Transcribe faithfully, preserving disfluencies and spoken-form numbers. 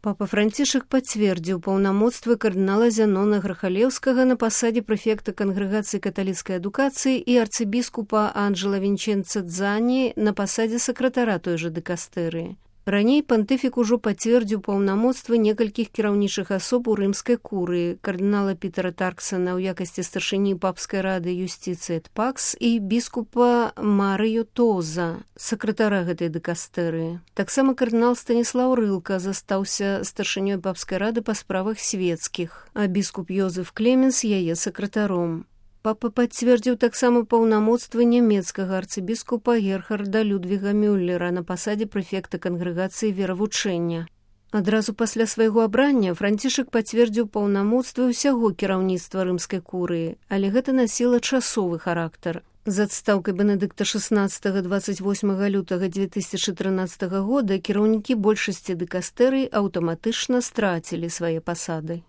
Папа Францішак пацвердзіў паўнамоцтвы кардынала Зянона Грахалеўскага на пасадзе прэфекта Кангрэгацыі каталіцкай адукацыі і арцыбіскупа Анджела Вінчэнца Дзані на пасадзе сакратара той жа дыкастэрыі. Раней пантыфік ужо пацвердзіў паўнамоцтвы некалькіх кіраўнічых асоб у рымскай курыі, кардынала Пітера Тарксана ў якасці старшыні папскай рады юстыцыі эт пакс і біскупа Марыё Тоза, сакратара гэтай дыкастэрыі. Таксама кардынал Станіслаў Рылка застаўся старшынёй папскай рады па справах свецкіх, а біскуп Йозеф Клеменс яе сакратаром. Папа пацвердзіў таксама паўнамоцтвы нямецкага арцыбіскупа Герхарда Людвіга Мюллера на пасадзе прэфекта Кангрэгацыі веравучэння. Адразу пасля свайго абрання Францішак пацвердзіў паўнамоцтвы ўсяго кіраўніцтва рымскай курыі, але гэта насіла часовы характар. З адстаўкай Бенедыкта шаснаццатага дваццаць восьмага лютага дзве тысячы трынаццатага года кіраўнікі большасці дыкастэрый аўтаматычна страцілі свае пасады.